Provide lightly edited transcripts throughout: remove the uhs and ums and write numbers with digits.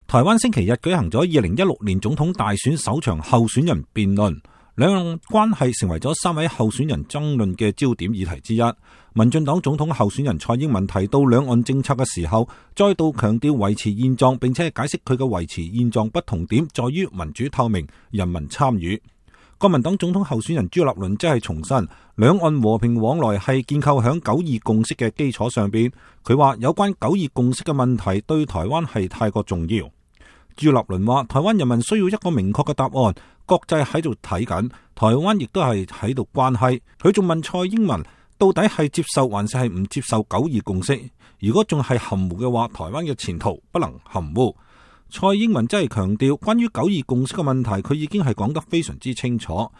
台灣星期日舉行咗2016年總統大選首場候選人辯論，兩岸關係成為咗3位候選人爭論嘅焦點議題之一。民進黨總統候選人蔡英文提到兩岸政策嘅時候，再度強調維持現狀，並且解釋佢嘅維持現狀不同點在於民主透明、人民參與。國民黨總統候選人朱立倫則係重申，兩岸和平往來係建構響9·2共識嘅基礎上邊。佢話有關9·2共識嘅問題對台灣係太過重要。朱立倫話，台灣人民需要一個明確嘅答案，國際喺度睇緊，台灣亦都係喺度關係。佢仲問蔡英文到底係接受還是係唔接受9·2共識？如果仲係含糊嘅話，台灣嘅前途不能含糊。蔡英文真係強調，關於9·2共識嘅問題，佢已經係講得非常之清楚。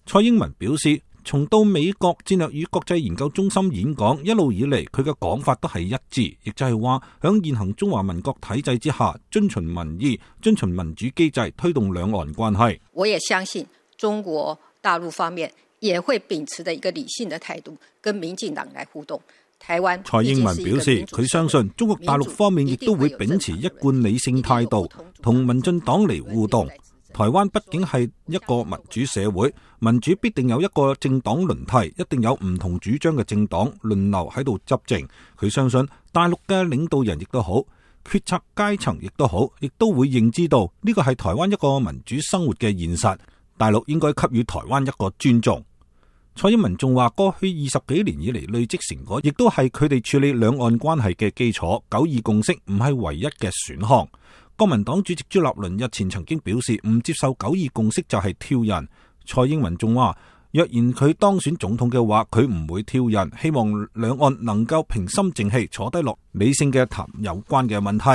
蔡英文表示，從到美國戰略與國際研究中心演講一路以嚟，佢嘅講法都係一致，亦就係話響現行中華民國體制之下，遵循民意、遵循民主機制，推動兩岸關係。我也相信中國大陸方面也會秉持的一個理性的態度，跟民進黨來互動。台灣蔡英文表示，佢相信中國大陸方面亦都會秉持一貫理性態度，同民進黨嚟互動。台灣畢竟係一個民主社會，民主必定有一個政黨輪替，一定有唔同主張嘅政黨輪流喺度執政。佢相信大陸嘅領導人亦都好，決策階層亦都好，亦都會認知到呢個係台灣一個民主生活嘅現實，大陸應該給予台灣一個尊重。蔡英文仲話，過去20幾年以嚟累積成果，亦都係佢哋處理兩岸關係嘅基礎。9·2共識唔係唯一嘅選項。國民黨主席朱立倫日前曾經表示，唔接受9·2共識就係挑釁。蔡英文仲話，若然佢當選總統嘅話，佢唔會挑釁，希望兩岸能夠平心靜氣坐低落理性嘅談有關嘅問題。